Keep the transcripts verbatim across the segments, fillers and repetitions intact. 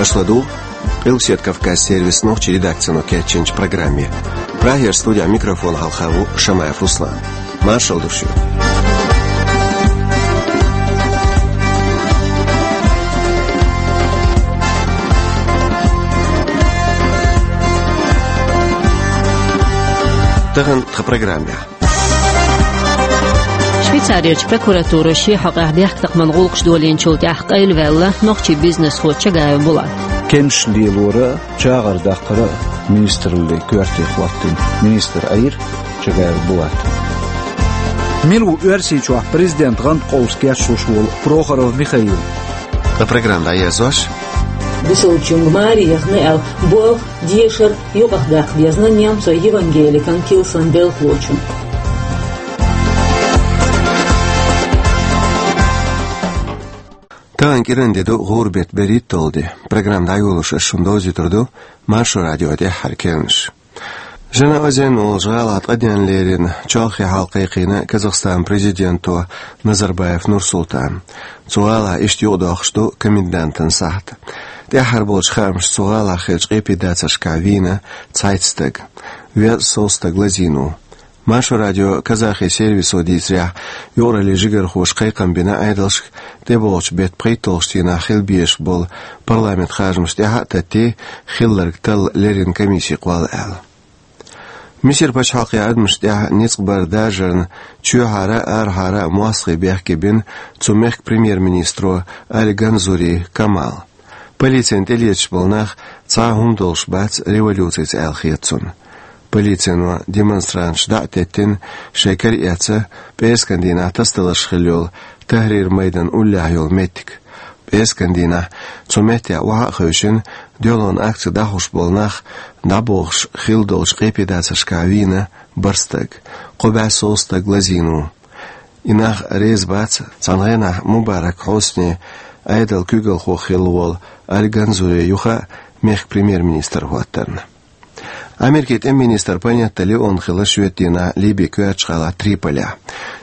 Аша ладугӀу Къилбаседа Кавказан сервисан нохчийн редакцино кечйинчу программе. Прагера студехь микрофон хьалха ву Шамаев Руслан. Маршалла ду шуьга. Тахана тхан программехь. Швейцарерчу прокуратуро шен хьокъехь дехкатакхаман гӀуллакхаш долийначул тӀаьхьа къайлаваьлла нохчийн бизнесхо Чагаев Булат. Кемсаш лелоран а, чагӀар даккхаран а министраллин коьрте хӀоттийна министр Ӏийра Чагаев Булат. Мила ву Оьрсийчохь президентан гӀанткъовса кечлуш волу Прохоров Михаил? Тхан программа дӀаерзош. Бусалбачуьнга маре яхна аьлла болх, дешар юкъахдаккха дезна немцойн евангеликан килсан делхалочунна. Тахана кӀиран де ду, гӀуран беттан берхӀитталгӀа де. Программа дӀайолош ас шуна довзуьйтур ду Маршо радион тӀаьххьара керланаш. Жанаозен олучу гӀалахь ткъа денна лерина чолхе хьал кхайкхийна Казахстанан президенто Назарбаев Нурсултана. Цу гӀалахь иштта юкъадоккхуш ду комендантан сахьт. ТӀаьххьара болчу хаамашца цу гӀалахь хиллачу къепедацаршкахь вийна цхьайтта стаг. Веза сов стаг лазийна ву. Маршо радион казахи сервисо дийцарехь, юкъараллин жигархоша кхайкхам бина Ӏедалшка, тӀебогӀучу беттан пхийтталгӀачу дийнахь хила безаш болу парламентан харжамаш тӀаьхьа а таттий, хилларг талла леррина комисси кхолла аьлла. Мисар пачхьалкхе адамашна тӀехь ницкъ баран даржарна чоьхьара а, арахьара а мостагӀий бехке бина цу мехкан премьер-министро Али Ганзури Камала. Полицина тӀелеташ болу нах цхьа а хӀума долуш бац революцица аьлла хета цунна. Полицино демонстранташ дӀа а теттина, шайн кара эцна пӀераскан дийнахь тасадаларш хилла йолу Тахрир-майдан уллехь йолу меттиг. ПӀераскан дийнахь цу меттехь охьа а хевшина, дуьхьалонан акци дӀахьош болу нах дӀабохуш хилла долчу къепедацаршкахь вийна бархӀ стаг, кхо бӀе сов стаг лазийна ву. И нах реза бац цхьана гӀенахь Мубарак Хьусни Ӏедалан куьйгалхо хилла волу Али Ганзури юха а мехкан премьер-министр хӀоттарна. Америкин тӀеман министр Панетта Леон хилла шоьтан дийнахь Ливин коьртачу гӀалахь Триполехь.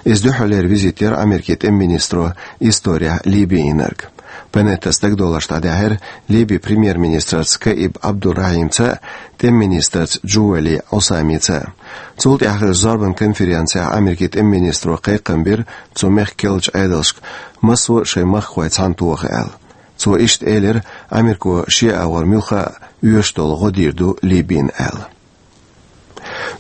Иза дуьххьарлера визит яра Америкин тӀеман министро исторехь Ливе йинарг. Панеттас дагадовларш дӀадаьхьира Ливин премьер-министрца Каиб Абдурахьимца а, тӀеман министрца Джували Усамица а. Цул тӀаьхьа хиллачу зорбанан конференцехь Америкин тӀеман министро кхайкхам бира цу мехкан керлачу Ӏедалшка, массо а шайн махкахой цхьаьна тоха аьлла. Цо иштта элира, Америко шен агӀор муьлхха а оьшуш долу гӀо дийр ду Ливина аьлла.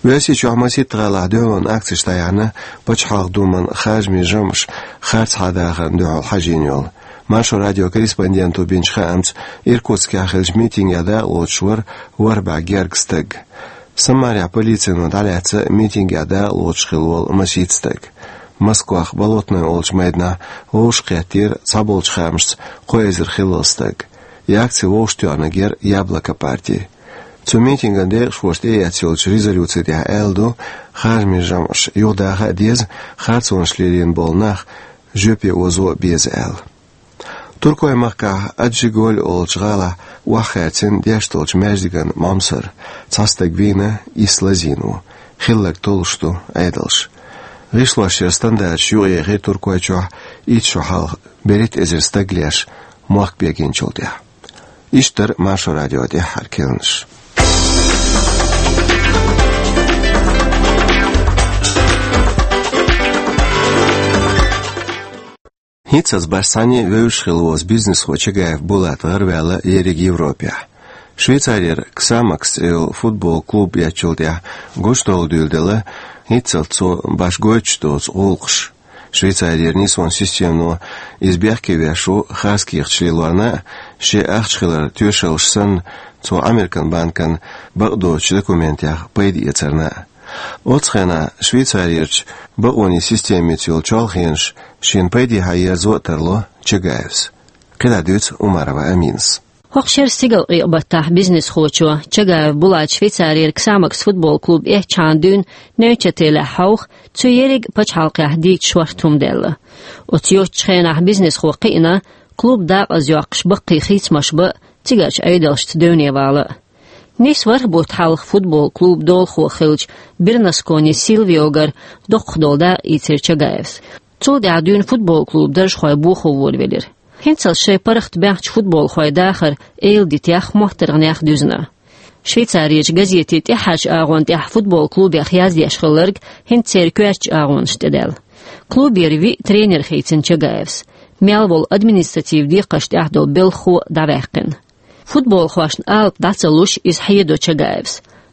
Оьрсийчохь масийтта гӀалахь дуьхьалонан акцеш дӀаяьхьна Пачхьалкхан Думан харжамийн жамӀаш харцахьа дахарна дуьхьал хьажийна йолу. Маршо радион корреспонденто бинчу хаамца, Иркутскехь хиллачу митингехь дакъалоцуш вара ворхӀ бӀе гергга стаг. Самарехь полицино дӀалаьцна митингехь дакъалоцуш хилла волу масийтта стаг. Москвахь Болотной олучу майданахь вовшахкхеттера цхьаболчу хаамашца кхо эзар хиллал стаг. И акци вовшахтоьхнарг яра Яблоко парти. Цу митинган декъашхоша тӀеэцна йолчу резолюци тӀехь аьлла ду, харжамийн жамӀаш юхадаха а деза, харцонаш лелийна болу нах жоьпе озо а беза аьлла. Туркойн махкахь Аджиголь олучу гӀалахь охьахаьрцина деш долчу маьждиган Ӏомсар. Цхьа стаг вийна, исс лазийна ву. Хилларг толлуш ду Ӏедалша. ГӀишлошъяран стандарташ юкъаяьхира Туркойчохь итт шо хьалха, берхӀитта эзар стаг леш, мохк бегийначул тӀаьхьа. Иштта дара Маршо радион тӀаьххьара керланаш. ХӀинццалц бархӀ схьане вевзаш хилла волу бизнесхо Чагаев Булат гӀараваьлла ерриг Европехь. Швейцарера Ксамакс цӀе йолу футбол клуб эцначул тӀаьхьа гучудовла дуьйладелла хӀинццалц цо башха гойтуш доцу гӀуллакхаш. Швейцарера нисван системано иза бехке веш ву хаза кехаташ лелорна а, шен ахча хиларан тоьшаллаш санна, цо Американ банкана бакъдоцучу документех пайда эцарна а. Оццу хенахь Швейцарерчу бакъонийн системица йолу чолхенаш шена пайдехьа ерзо а тарло Чагаевс. КхидӀа дуьйцу Умарова Аминас. ХӀокху шеран стигалкъекъа баттахь бизнесхочо Чагаев Булата Швейцарера Ксамакс футбол клуб эцначхьана дуьйна Нойчателехь хьовха, цу ерриг а пачхьалкхехь дийца шортта хӀума даьлла. Оцу йоцчу хенахь бизнесхо кхиъна, клуб дакъазйоккхуш баккхий хийцамаш бан а, цигарчу Ӏедалшца девне вала а. Нийсса ворхӀ бутт хьалха футбол клубан долахо хиллачу Бернаскони Сильвиогара доккхах долу дакъа ийцира Чагаевс. Цул тӀаьхьа дуьйна футбол клубан даржхойн бохо волавелира. ХӀинцалц шайн паргӀат баьхначу футболхойн дахар эладитех моттаргӀанех дуьзна. Швейцарерчу газетийн тӀаьххьарчу агӀонна тӀехь футбол клубех яздеш хилларг хӀинца церан коьртачу агӀонашна тӀедаьлла. Клубера виъ тренер хийцина Чагаевс. Мел волу административ декхарш тӀехь долу белхахо дӀаваьккхина. Футболхошна алапа дӀа ца луш, иза хьедо Чагаевс.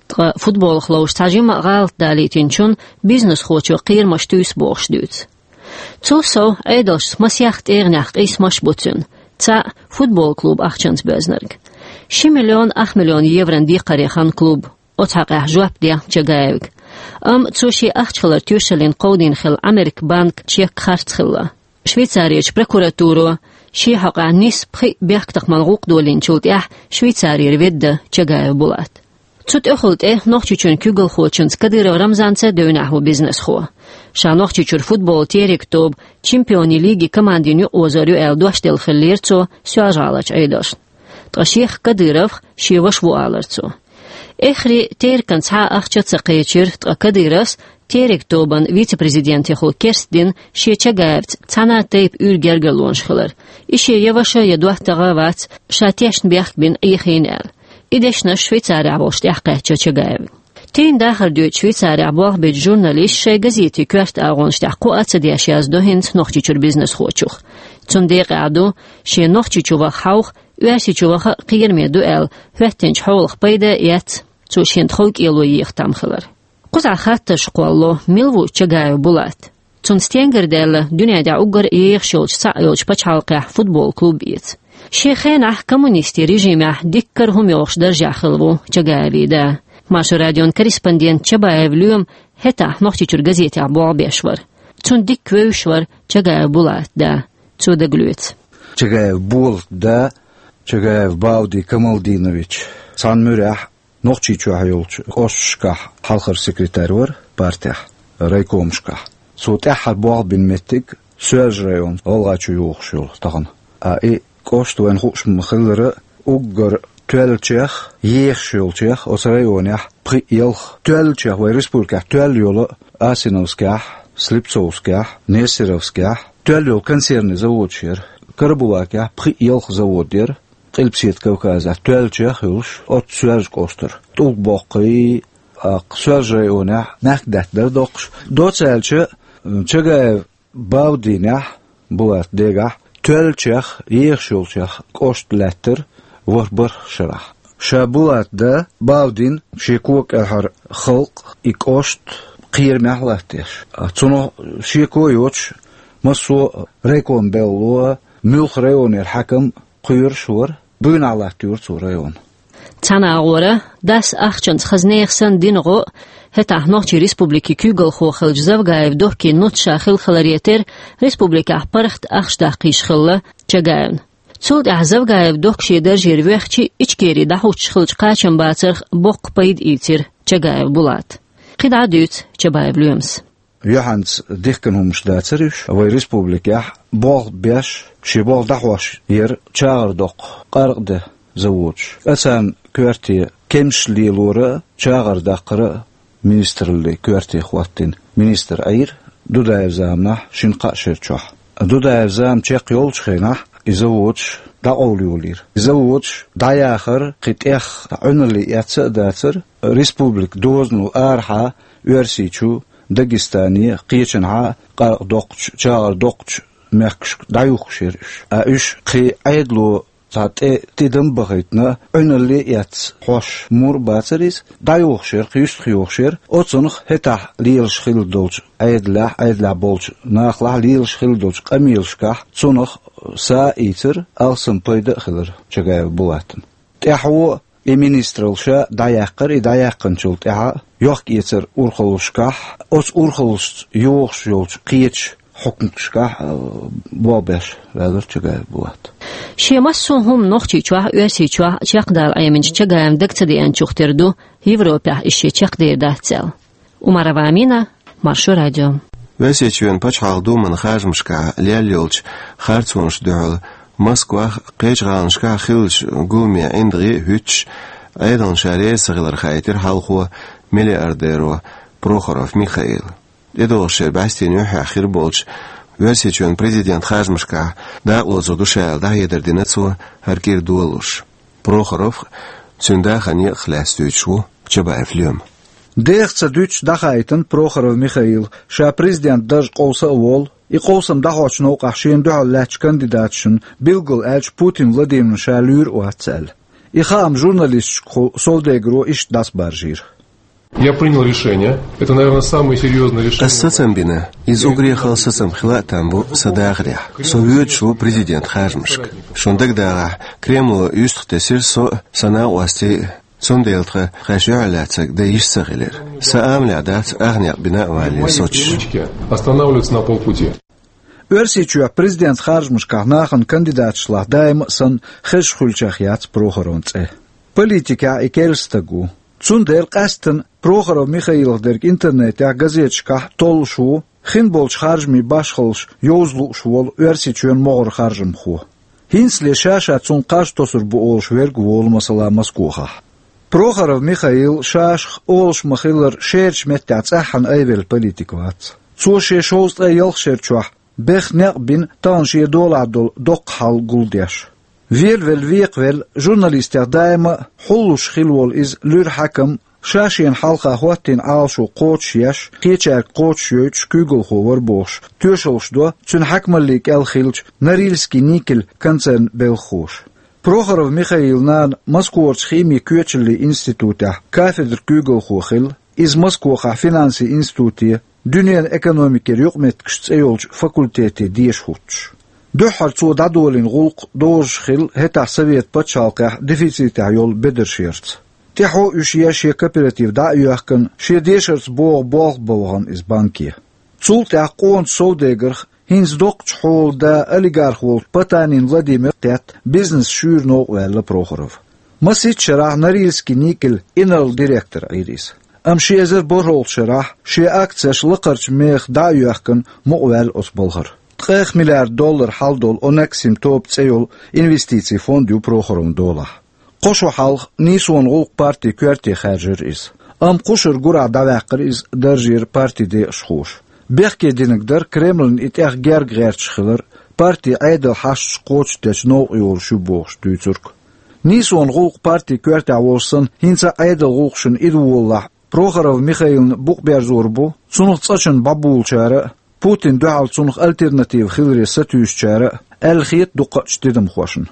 Ткъа футболах ловзуш цхьа жимма а гӀалат далийтинчунна бизнесхочо кхерамаш туьйсу бохуш дуьйцу. Цул сов, Ӏедалшца масех тӀегӀанехь къийсамаш бу цуьнан. Цхьаъ футбол клуб ахчанца боьзнарг. Ши миллион ах миллион еврон декхаре хан клуб. Оцу хьокъехь жоп де Чагаевга. Амма цо шен ахча хилар тоьшаллина кховдийна хилла Американ банк чек харц хилла. Швейцарерчу прокуратуро шен хьокъехь нисса пхиъ бехктакхаман гӀуллакх долийначул тӀаьхьа Швейцарера ведда Чагаев Булат. Цу тӀехула тӀе Нохчийчоьнан куьйгалхочуьнца Кадыров Рамзанца девнехь ву бизнесхо. Ша Нохчийчуьра футболан Терек тобан чемпионийн лиги командина юкъаозор ю аьлла дош делла хиллера цо Соьлжа-ГӀаларчу Ӏедалшна. Ткъа шех Кадыровх шен ваша ву алара цо. Эххар Терекан цхьа а ахча а ца кхечира, ткъа Кадыровс, Терек тобан вице-президентехула керстдина шен Чагаевца цхьана а тайпа уьйр гергарлонаш хилар. И шен я ваша, я доттагӀа а вац, ша тешна бехк бина Ӏехийна аьлла. И дешнаш Швейцарехь волуш тӀаьхьакхаьчна Чагаевн. Тайна дахар доьду Швейцарехь болх бечу журналисташа шайн газетийн коьрта агӀонаш тӀехь кхоъ а ца деш яздо хӀинца Нохчийчуьра бизнесхочух. Цунна декъехь ду, шен Нохчийчу ваха хьовха, Оьрсийчу ваха а кхераме ду аьлла, хӀоьттинчу хьолах пайда а эцна, цо шена тхов кӀело еха там хилар. Кхузахь хаттарш кхоллало, мила ву Чагаев Булат. Цунна стенгара даьлла дуьнен тӀехь уггар а ехаш йолчу цхьаъ йолчу пачхьалкхехь футбол клуб эца. Шен хенахь коммунистийн режимехь диккара хӀума йохуш даржехь хилла ву Чагаевн да. Маршо радион корреспондент Чабаев Лоьма хӀетахь Нохчийчуьра газетехь болх беш вара. Цунна дикка вевзаш вара Чагаев Булатан да. Цо дагалоьцу. Чагаев Булатан да, Чагаев Баудин Камалдинович, цхьана муьрехь Нохчийчохь йолчу кӀошташкахь хьалхара секретарь вара партехь, райкомашкахь. Цо тӀаьххьара болх бина меттиг Соьлжа-район, ГӀалгӀайчу йогӀуш йолу тахана. А и кӀошт вайна хууш ма-хиллара, уггар тоьллачех, ехаш йолчех оцу районехь пхиъ-ялх, тоьллачех вайн республикехь тоьлла йолу Асиновскехь, Слепцовскехь, Нестеровскехь тоьлла йолу консервни заводаш яра. Карабулакехь пхиъ-ялх завод яра. Къилбаседа Кавказехь тоьллачех а хуьлуш, оццу Соьлжа кӀоштара. ТӀулг боккхий, а, Соьлжа-районехь мехкадаьтта дара доккхуш. Доцца аьлча, Чагаев Баудинехь, Булатан дегахь, тоьллачех, ехаш йолчех кӀошт лаьттара ворхӀ-бархӀ шарахь. Ша Булатан да Баудин шен кога кӀелхьара халкъ, и кӀошт кхерамехь латтадеш. Цунах шеко а йоцуш, массо а райком белло, муьлхха районера хьаькам кхоьруш вара, буйнахь латтайора цо район. Цхьана агӀора, дас ахчанца хаза нехан санна дина гӀо а, хӀетахь Нохчийн Республикин куьйгалхо хиллачу Завгаев Доккин нуц ша хилла хиларе терра, республикехь паргӀат ахча даккха йиш хилла Чагаевна. Цул тӀаьхьа Завгаев Докка шен даржера воьхча, Ичкери дӀахӀуттуш хиллачу кхачамбацарх боккха пайда ийцира Чагаев Булата. КхидӀа а дуьйцу Чабаев Лоьмас. Юьхьанца дихкина хӀуманаш дацара уьш. Вайн республикехь болх беш, шен болх дӀахьош яра чагӀар доккху, къаркъа де заводаш. Ткъа царна коьрте кемсаш лелора а, чагӀар даккхара а министраллин коьрте хӀоттийна министр Ӏийра Дудаев заманахь шина-кхаа шера чохь. Дудаев зама чекхйолчу хенахь и заводаш дӀакъовла йолийра. И заводаш дӀаяхар кхин тӀех Ӏуьналле эцца а дацара, республикан дозано арахьа Оьрсийчу, Дагестане, кхечанхьа къаркъа доккхучу, чагӀар доккхучу мехкашка дӀаюхкуш яра уьш. А уьш кхин Ӏедало цхьа тӀе тидам а бахийтина, Ӏуьналле а эцна хьош мур а бацара иза, дӀайохуш яра, кхин юьстах йохуш яра, оцунах хӀетахь лелаш хилла долчу Ӏедалехь, Ӏедалехь болчу нахалахь лелаш хилла долчу къамелашкахь цунах са а ийцира, алсам пайда а хилира Чагаев Булатна. ТӀаьхьо и министраллаш дӀаяьккхира, и дӀаяьккхинчул тӀаьхьа йохк-эцар урхаллашкахь, оцу урхаллашца йогӀуш йолчу кхечу хьукматашкахь, а, болх беш ваьллара Чагаев Булат. Шен массо а хӀума Нохчийчохь а, Оьрсийчохь а чекхдала Ӏеминчу Чагаевн дага ца деанчух тера ду, Европехь иза шен чекхдер дац аьлла. Умарова Амина, Маршо радио. Оьрсийчоьнан пачхьалкхан думан харжамашкахь лелла йолчу харцонашна дуьхьал Москвахь а, кхечу гӀаланашкахь а хиллачу гуламе ӀиндагӀий а хӀуьттуш, Ӏедална ша реза ца хилар хаийтира хьалхо миллиардеро Прохоров Михаила. ТӀедогӀуш шеран бӀаьстенан юьххьехь хир болчу Оьрсийчоьнан президент харжамашкахь дакъалоцур ду ша аьлла дӀахьедар дина цо хӀара кӀира долалуш. Прохоров а, цуьнан да а ханна а лаьцна дуьйцуш ву Чабаев Лоьма. Деха ца дуьтуш дӀахаийтина Прохоров Михаила, ша президент дарж къовса а волу, и къовсам дӀахьочу новкъахь шена дуьхьал лаьттачу кандидаташна, билггал аьлча Путин Владимирна ша луьйр а вац аьлла. И хаам журналисташкахула Совдегаро иштта дӀасабаржийра. Я принял решение. Это, наверное, самое серьёзное решение. Ас сацам бина. Иза уггаре хала сацам хила а там бу сан дахарехь. Со воьдуш ву президент харжамашка. Шуна дагадогӀахь, Кремло юьстах тесира со а, сан накъостий а, цундела тхан шайн юьхьарлаьцнарг дан йиш ца хилира. Сан амалехь дац ах некъ бина а валале соцуш. Останавливаться на полпути. Оьрсийчохь президент харжамашкахь нахана кандидаташлахь даима а санна хезаш хуьлучех яц Прохоровн цӀе. Политикехь и керла стаг ву. Цундела къаьсттина Прохоров Михаилах дерг интернетехь, газеташкахь толлуш ву, хин болчу харжамийн башхаллаш йовза лууш волу Оьрсийчоьнан могӀара харжамхо. ХӀинцале ша-ша цунна кхаж тосур бу олуш верг а волу, масала, Москохахь. Прохоров Михаил шашах олуш ма-хиллара шерачу меттехь цӀеххьана айвелла политик вац. Цо шен шовзткъе ялх шер чохь беха некъ бина тахана шен долахь долу доккха хьал гулдеш. Велавелла, векхавелла, журналистех даима а хьуллуш хилла волу иза луьра хьаькам, ша шена хьалха хӀоттийна Ӏалашо кхочушъеш, кхечаьрга кхочушйойтуш куьйгалхо вара бохуш, тоьшаллаш до цуьнан хьаькамаллин кӀел хиллачу Норильский никель концернан белхахоша. Прохоров Михаилан нана Москварчу химин кечаллин институтехь кафедран куьйгалхо хилла, иза Москохахь финансийн институте, дуьненан экономикера юкъаметтигаш цӀе йолчу факультете деша хӀуттуш. Дуьххьара цо дӀадолийна гӀуллакх дозуш хилла хӀетахь Совет пачхьалкхехь дефицитехь йолу бедарш ярца. ТӀаьхьо уьш еш шен кооператив дӀа а йоьхкина, шен дешарца богӀу болх бан вахана иза банке. Цул тӀаьхьа къоначу Совдегарх хӀинца доккхачу хьолан да, олигарх волчу Потанин Владимир а кхетта, бизнес шуьйра новкъа ваьлла Прохоров. Масийтта шарахь Норильский никель инарла директор Ӏийра иза. Амма ши эзар борхӀалгӀачу шарахь шен акцеш лакхарчу мехах дӀа а йоьхкина, мукъаваьлла оцу балхара. Ткъех миллиард доллар хьал долу Онексин тоба цӀе йолу инвестицийн фонд ю Прохоровн долахь. Кхо шо хьалха Нийсонан гӀуллакх партин коьрте хаьржира иза. Амма кхушара гурахь дӀаваьккхира иза даржера партин декъашхоша. Бехке динарг дара Кремльна и тӀех герга гӀерташ хилар, партин Ӏедалан хьашташ кхочушдечу новкъа йолуш ю бохуш дуьйцург. Нийсонан гӀуллакх партин коьртехь волуш санна, хӀинца а Ӏедалан гӀуллакхашна и ду волалахь, Прохоров Михаилна букъ берзор бу цунах цӀа чун бӀабулучара а, Путинна дуьхьал цунах альтернатива хиларе сатуьйсучара а, аьлла хета дукхачу тидамхошна.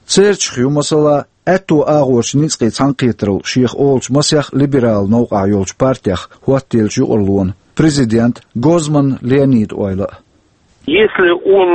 Церчух ю, масала, аьтту агӀорчу ницкъийн цхьаьнакхетаралла шех олучу масех либералан новкъахь йолчу партех хӀоттаеллачу юкъараллина президент Гозман Леонидан ойла а. Если он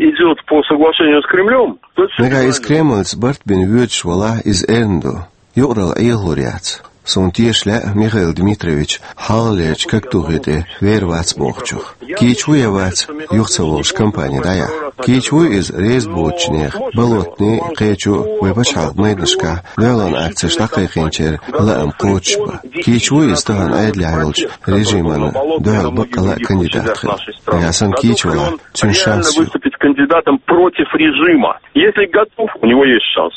идёт по соглашению с Кремлём, то... Нагахь иза Кремльца барт бина воьдуш валахь, иза эрна ду. Юкъаралла Ӏехалур яц. Суна теша лаьа Михаил Дмитриевич хьалхалерчу когтухе тӀе вер вац бохучух. Кийча ву я вац, юха ца волуш кампани дӀаяхьа. Кийча вуй иза реза боцучу нехан, Болотный, кхечу вай пачхьалкхан майданашкахь дуьхьалонан акцеш дӀакхайкхийначеран лаам кхочушбан. Кийча вуй иза тахана Ӏедалехь йолчу режимана дуьхьал баккъалла а кандидат хила. Нагахь санна кийча валахь, цуьнан шанс ю. Выступить кандидатом против режима. Если готов, у него есть шанс.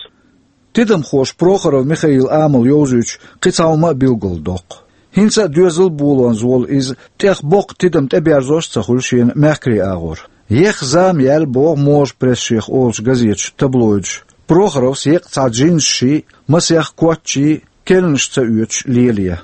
Тидамхоша Прохоров Михаилан амал йовзуьйтуш кхин цхьа хӀума а билгалдоккху. ХӀинца а доьзал болонза волу иза тӀех боккха тидам тӀеберзош а ца хуьлу шена мехкарийн агӀор. Еха зама яьлла боху можа пресс шех олучу газеташа, таблоидаша. Прохоровс екъа цхьа джинсаший, масех коттчий, керланаш ца оьцуш лелае.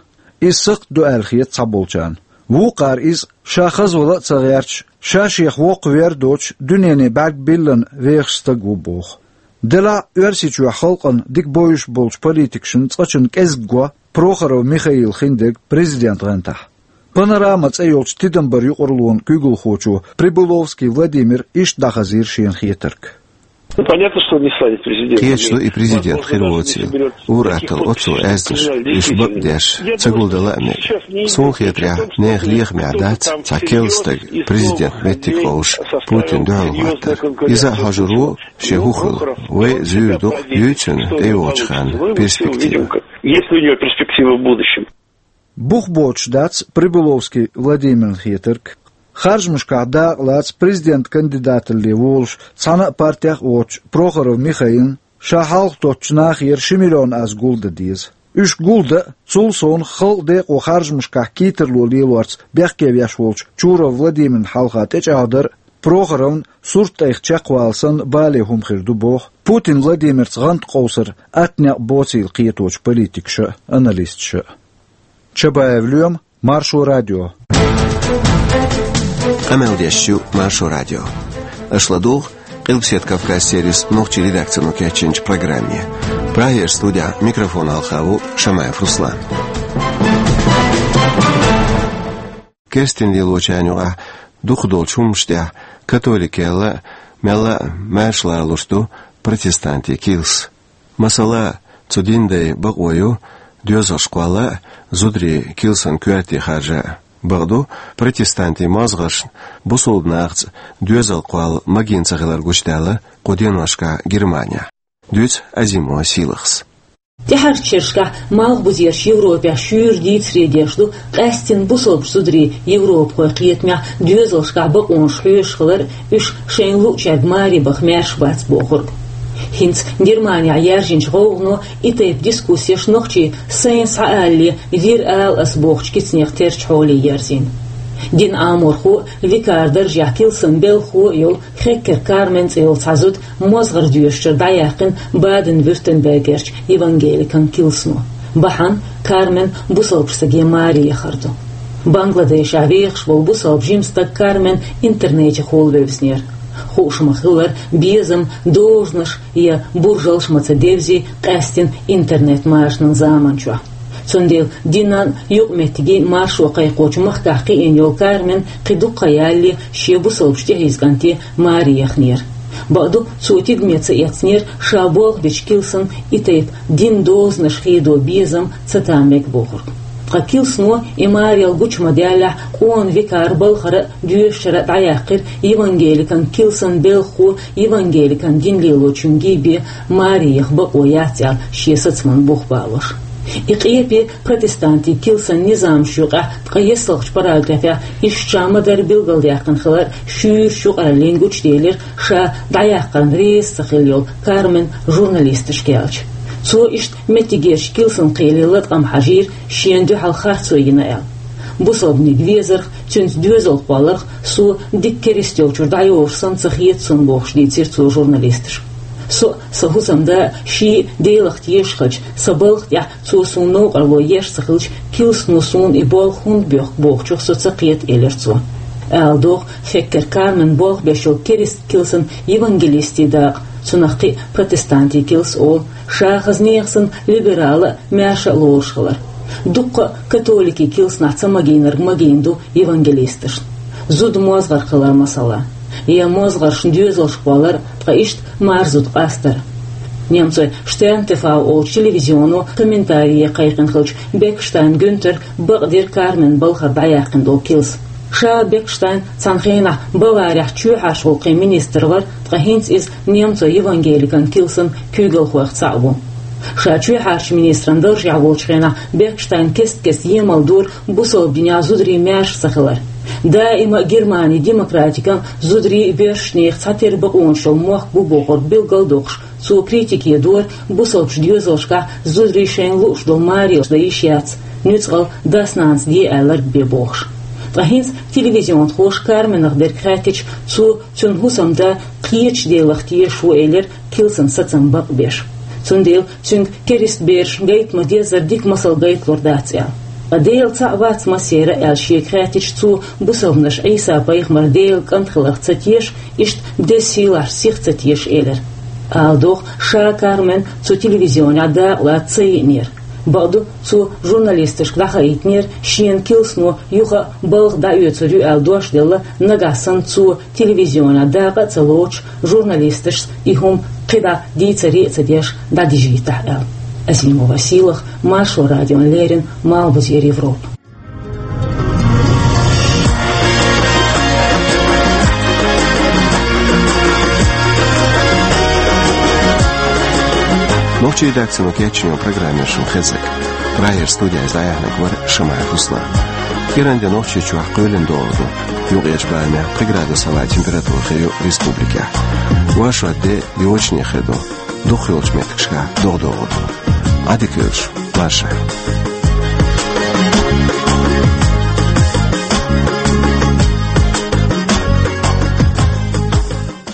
Иза сакхт ду аьлла хета цхьаболчарна. Вукхара иза, ша хазвала а ца гӀерташ, ша шех воккхавер а доцуш, дуьнене бӀаьрг биллина вехаш стаг ву боху. Делахь а Оьрсийчохь халкъана дика бовзуш болчу политикашна цкъачунна кӀезиг го Прохоров Михаила хиндерг президент гӀантахь. «Панорама» цӀе йолчу тидамбаран юкъараллин куьйгалхочо Прибыловский Владимира иштта дӀахазийра шена хетарг. Ну, понятно, что он не станет президентом. Кхеташ ду, и президент хир воцийла. Ур-атталла оццул аьзнаш, уьш бакъдеш, ца гулдан лаам а. Суна хетарехь, нехан лехамехь дац цхьа керла стаг президент меттиг къовсуш, Путинна дуьхьал хӀоттар. Иза а хьожур ву, шен хӀун хилла. Вай а зуьйр ду-кх, юй цуьнан тӀейогӀучу ханна перспектива. Есть ли у него перспективы в будущем? Бух боцуш дац Прибыловский Владимирна хетарг. Харжамашкахь дакъа лаца президент кандидаталле волуш цхьана а партех а воцучу Прохоров Михаилна ша хьалха тоттучу нахера ши миллион аз гулдан деза. Уьш гулдан а, цул совнаха халкъан декъо харжамашкахь кийтарло лелорца бехке веш волчу Чуров Владимирна хьалха тӀечӀагӀдар а, Прохоровна сурт тӀайх чекхвала санна бале хӀума хир ду, боху Путин Владимирца гӀант къовсар атта некъ боцийла кхетачу политикаша а, аналисташа а. Чабаев Лоьма, Маршо радио. Къамел деш ю Маршо радио. Аша ладугӀу Къилбаседа Кавказ сервисан нохчийн редакцино кечйинчу программе. Прагера студехь микрофон хьалха ву Шамаев Руслан. Керстина лелочарна юкъахь дукхах долчу хӀуманаш тӀехь католикел а, мелла а маьрша лоруш ду протестантийн килс. Масала, цу динан дайн бакъо ю доьзалш кхолла а, зударий килсан коьрте харжа а. Бакъду, протестантийн мозгӀаршна бусалба нахаца доьзал кхолла магийна ца хилар гучудаьлла кху деношкахь Германехь. Дуьйцу Азимова Сийлахьас. ТӀаьхьарчу шерашкахь Малхбузерчу Европехь шуьйра дийцаре деш ду къаьсттина бусалба зударийн европахойн кхетамехь доьзалшкахь бакъонаш хьоьжуш хилар а, уьш шайна луъучаьрга маре баха маьрша бац бохург. ХӀинца Германехь яьржинчу гӀовгӀано и тайпа дискуссеш нохчийн «Сайна схьаалале, вир ала ас» бохучу кицанех терча хьоле ерзийна. Динан Ӏаморхо а, викаран даржехь килсан белхахо а йолу Хеккер Кармен цӀе йолу цхьа зуда мозгӀара доьшучуьра дӀаяьккхина Баден-Вюртембергерчу евангеликан килсано. Бахьана Кармен бусалба стаге маре яхар ду. Бангладешехь вехаш волу бусалба жима стаг Кармен интернетехула вевзинера. Хууш ма-хиллара, безам, дозанаш я буржалш ма ца девзи къаьсттина интернет-машанан заманчохь. Цундела динан юкъаметтигийн маршо кхайкхочу махкахь кхиъна йолу Кармен кхин дукха хан ялале шен бусалбачу тӀехьийза кӀанте маре яхнера. Бакъду, цо тидаме ца эцнера ша болх бечу килсан и тайпа динан дозанаш хедо безам ца там мега бохург. Ткъа килсано и марел гучу ма-даьллехь, къона викаран балхара а, доьшучара а дӀаяьккхира евангеликан килсан белхахо евангеликан дин лелочуьнга бен маре яха бакъо яц аьлла шен сацаман бух балош. И къепе протестантийн килсан низамаш юкъахь, ткъа ессалгӀачу параграфехь иштта ша ма-дарра билгалдаьккхина хилар шуьйрачу юкъараллина гучуделира ша дӀаяккхарна реза ца хилла йолу Кармен журналисташка аьлча. Цо иштта меттигерчу килсан кхеле латкъам хьажийра, шена дуьхьал харцо йина аьлла. Бусалбаниг везарх, цуьнца доьзал кхолларх со дика керста йолчуьра дӀайолуш санна ца хета суна, бохуш дийцира цо журналисташка. Со а, сан хӀусамда а шиъ а Делах тешаш хилча, сан балха тӀехь цо суна новкъарло еш ца хилча, килсано суна и болх хӀунда боьху бохучух со ца кхета, элира цо. Ала догӀу, Хеккер Кармен болх беш йолу керста килсан евангелистийн дакъа, цунах кхин а протестантийн килс олу, ша хаза нехан санна либерал а, маьрша а лоруш хилар. Дуккха а католикийн килсанахь ца магийнарг магийна ду евангелисташна. Зуда мозгӀарх хилар, масала, я мозгӀаршна доьзалш кхоллар, ткъа иштта марзуьйту къастар. Немцойн Штерн ТВ олучу телевизионо комментарие кхайкхина хиллачу Бекштайн Гюнтера бакъдира Кармен балхара дӀаяьккхина долу килс. Ша Бекштайн цхьана хенахь Баварехь чоьхьарчу гӀуллакхийн министр вара, ткъа хӀинца иза немцойн евангеликан килсан куьйгалхойх цхьаъ ву. Ша чоьхьарчу министран даржехь волчу хенахь Бекштайн кест-кеста емал дора бусалба динехь зударийн маьрша ца хилар. Даима а Германин демократикан, зударийн а, боьршачу нехан цхьатерра бакъонаш йолу мохк бу бохург билгалдоккхуш, цо критике дора бусалбачу доьзалшкахь зударийн шайна лууш долу марелаш дан йиш яц, нуьцкъала дас-нанас де аьлларг бен бохуш. Ткъа хӀинца телевизионхоша Карменах дерг хаьттича, цо цуьнан хӀусамда кхечу Делах тешаш ву элира, килсан сацам бакъбеш. Цундела цуьнга керста берашна гайта ма-деззара дика масал гайталур дац аьлла. Ткъа Дела цхьаъ вац массеран а аьлла шега хаьттича, цо бусалбанаш Ӏийса-пайхамар Делан кӀант хиларх ца теша, иштта деза сийлахьчу сих ца теша элира. Ала догӀу, ша Кармен цу телевизионехь дакъалаца ца йиънера. Бакъду, цо журналисташка дӀахаийтинера, шена килсано юха а балха дӀаоьцур ю аьлла дош делла, нагахь санна цо телевизионехь дакъа а ца лоцуш, журналисташца и хӀума кхидӀа дийцаре а ца деш, дӀадижийтахь аьлла. Азимова Сийлахь, Маршо радиона леррина, Малхбузера Европа. Нохчийн редакцино кечйинчу программе шун хезира. Прагера студехь иза дӀаяьхьнарг вара Шамаев Руслан. КӀиранде Нохчийчохь кхоьлина догӀур ду. Юккъерчу барамехь пхи градус хьалха температура хир ю республикехь. Ван-шо де йочане хир ду. Дукхахйолчу меттигашкахь догӀа догӀур ду. Ӏадика йойла шу, марша.